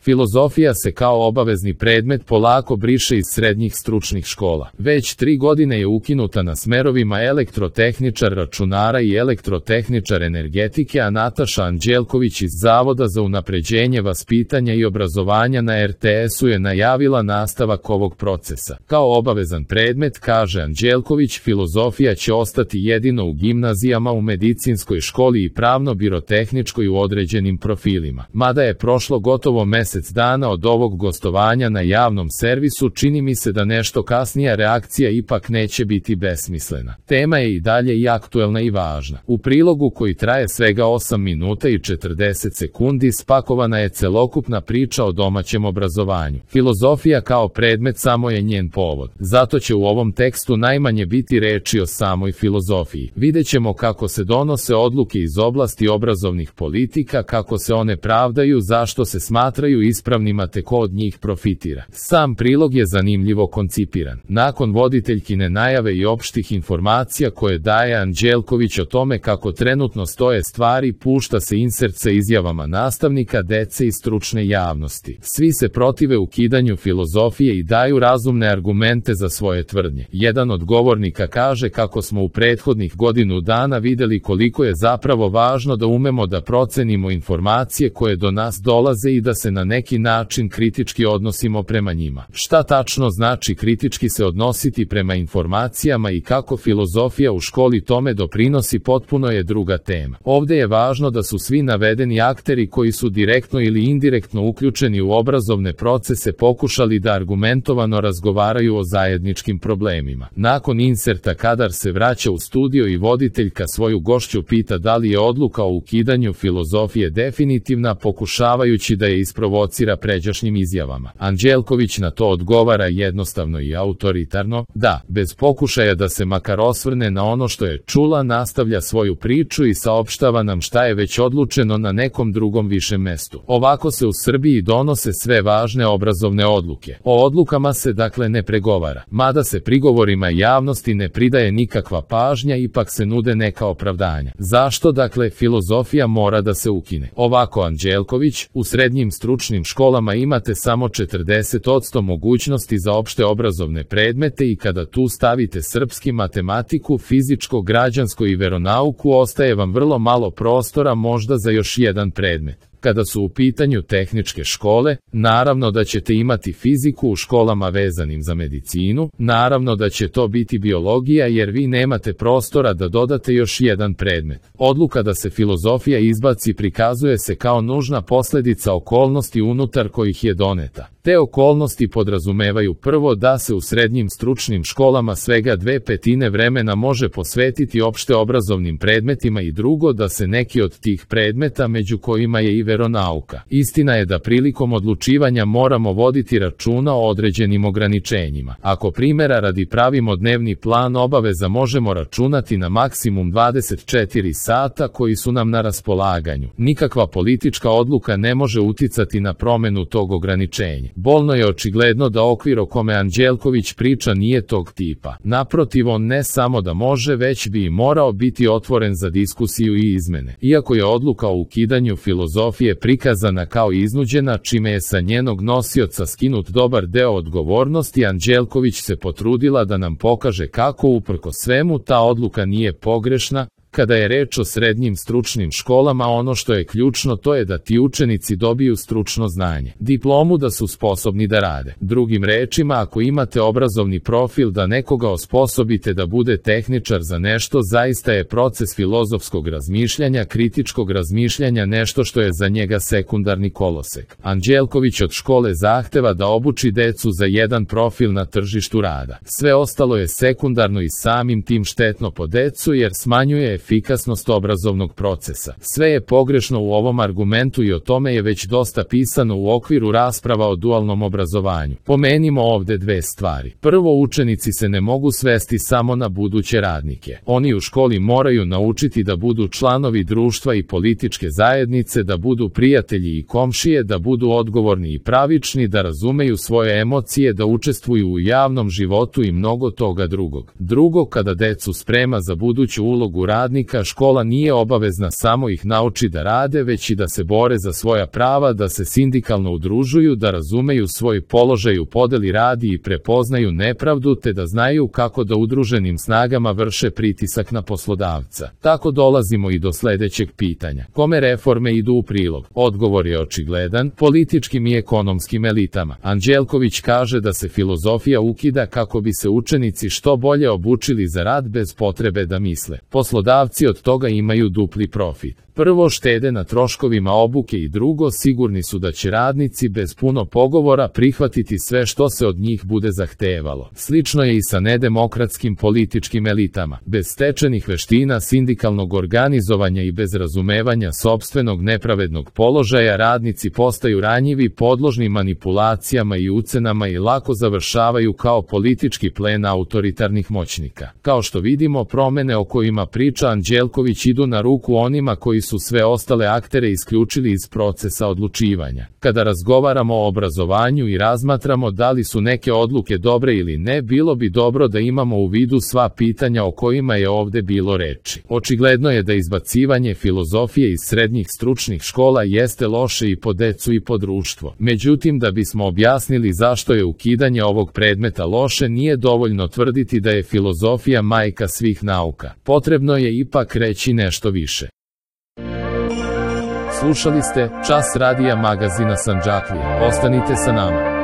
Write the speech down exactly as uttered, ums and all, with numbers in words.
Filozofija se kao obavezni predmet polako briše iz srednjih stručnih škola. Već tri godine je ukinuta na smerovima elektrotehničar računara i elektrotehničar energetike, a Nataša Anđelković iz Zavoda za unapređenje vaspitanja i obrazovanja na er te esu je najavila nastavak ovog procesa. Kao obavezan predmet, kaže Anđelković, filozofija će ostati jedino u gimnazijama, u medicinskoj školi i pravno-birotehničkoj u određenim profilima. Mada je prošlo gotovo mesec dana od ovog gostovanja na javnom servisu, čini mi se da nešto kasnija reakcija ipak neće biti besmislena. Tema je i dalje i aktuelna i važna. U prilogu koji traje svega osam minuta i četrdeset sekundi spakovana je celokupna priča o domaćem obrazovanju. Filozofija kao predmet samo je njen povod. Zato će u ovom tekstu najmanje biti reči o samoj filozofiji. Videćemo kako se donose odluke iz oblasti obrazovnih politika, kako se one pravdaju, zašto se smatraju ispravnima te ko od njih profitira. Sam prilog je zanimljivo koncipiran. Nakon voditeljkine najave i opštih informacija koje daje Anđelković o tome kako trenutno stoje stvari, pušta se insert sa izjavama nastavnika, dece i stručne javnosti. Svi se protive ukidanju filozofije i daju razumne argumente za svoje tvrdnje. Jedan od govornika kaže kako smo u prethodnih godinu dana videli koliko je zapravo važno da umemo da procenimo informacije koje do nas dolaze i da se na neki način kritički odnosimo prema njima. Šta tačno znači kritički se odnositi prema informacijama i kako filozofija u školi tome doprinosi, potpuno je druga tema. Ovde je važno da su svi navedeni akteri koji su direktno ili indirektno uključeni u obrazovne procese pokušali da argumentovano razgovaraju o zajedničkim problemima. Nakon inserta kadar se vraća u studio i voditeljka svoju gošću pita da li je odluka o ukidanju filozofije definitivna, pokušavajući da je isprovocira pređašnjim izjavama. Anđelković na to odgovara jednostavno i autoritarno, da, bez pokušaja da se makar osvrne na ono što je čula, nastavlja svoju priču i saopštava nam šta je već odlučeno na nekom drugom višem mestu. Ovako se u Srbiji donose sve važne obrazovne odluke. O odlukama se dakle ne pregovara. Mada se prigovorima javnosti ne pridaje nikakva pažnja, ipak se nude neka opravdanja. Zašto dakle filozofija mora da se ukine? Ovako Anđelković, u srednjim stručnim školama imate samo četrdeset posto mogućnosti za opšte obrazovne predmete i kada tu stavite srpski, matematiku, fizičko, građansko i veronauku, ostaje vam vrlo malo prostora možda za još jedan predmet. Kada su u pitanju tehničke škole, naravno da ćete imati fiziku u školama vezanim za medicinu, naravno da će to biti biologija jer vi nemate prostora da dodate još jedan predmet. Odluka da se filozofija izbaci prikazuje se kao nužna posledica okolnosti unutar kojih je doneta. Te okolnosti podrazumevaju prvo da se u srednjim stručnim školama svega dve petine vremena može posvetiti opšte obrazovnim predmetima i drugo da se neki od tih predmeta, među kojima je i veronauka. Istina je da prilikom odlučivanja moramo voditi računa o određenim ograničenjima. Ako primjera radi pravimo dnevni plan obaveza, možemo računati na maksimum dvadeset četiri sata koji su nam na raspolaganju. Nikakva politička odluka ne može uticati na promenu tog ograničenja. Bolno je očigledno da okvir o kome Anđelković priča nije tog tipa. Naprotiv, on ne samo da može, već bi i morao biti otvoren za diskusiju i izmene. Iako je odluka o ukidanju filozofije prikazana kao iznuđena, čime je sa njenog nosioca skinut dobar deo odgovornosti, Anđelković se potrudila da nam pokaže kako uprkos svemu ta odluka nije pogrešna. Kada je reč o srednjim stručnim školama, ono što je ključno to je da ti učenici dobiju stručno znanje, diplomu da su sposobni da rade. Drugim rečima, ako imate obrazovni profil da nekoga osposobite da bude tehničar za nešto, zaista je proces filozofskog razmišljanja, kritičkog razmišljanja nešto što je za njega sekundarni kolosek. Anđelković od škole zahteva da obuči decu za jedan profil na tržištu rada. Sve ostalo je sekundarno i samim tim štetno po decu jer smanjuje efikasnost obrazovnog procesa. Sve je pogrešno u ovom argumentu i o tome je već dosta pisano u okviru rasprava o dualnom obrazovanju. Pomenimo ovde dve stvari. Prvo, učenici se ne mogu svesti samo na buduće radnike. Oni u školi moraju naučiti da budu članovi društva i političke zajednice, da budu prijatelji i komšije, da budu odgovorni i pravični, da razumeju svoje emocije, da učestvuju u javnom životu i mnogo toga drugog. Drugo, kada decu sprema za buduću ulogu radnika, radnika škola nije obavezna samo ih nauči da rade, već i da se bore za svoja prava, da se sindikalno udružuju, da razumeju svoj položaj u podeli radi i prepoznaju nepravdu, te da znaju kako da udruženim snagama vrše pritisak na poslodavca. Tako dolazimo i do sledećeg pitanja. Kome reforme idu u prilog? Odgovor je očigledan, političkim i ekonomskim elitama. Anđelković kaže da se filozofija ukida kako bi se učenici što bolje obučili za rad bez potrebe da misle. Poslodavci od toga imaju dupli profit. Prvo, štede na troškovima obuke i drugo, sigurni su da će radnici bez puno pogovora prihvatiti sve što se od njih bude zahtevalo. Slično je i sa nedemokratskim političkim elitama. Bez stečenih veština, sindikalnog organizovanja i bez razumevanja sopstvenog nepravednog položaja radnici postaju ranjivi, podložni manipulacijama i ucenama i lako završavaju kao politički plen autoritarnih moćnika. Kao što vidimo, promene o kojima priča Anđelković idu na ruku onima koji su sve ostale aktere isključili iz procesa odlučivanja. Kada razgovaramo o obrazovanju i razmatramo da li su neke odluke dobre ili ne, bilo bi dobro da imamo u vidu sva pitanja o kojima je ovde bilo reči. Očigledno je da izbacivanje filozofije iz srednjih stručnih škola jeste loše i po decu i po društvo. Međutim, da bismo objasnili zašto je ukidanje ovog predmeta loše, nije dovoljno tvrditi da je filozofija majka svih nauka. Potrebno je ipak reći nešto više. Slušali ste Čas radija magazina Sandžaklija. Ostanite sa nama.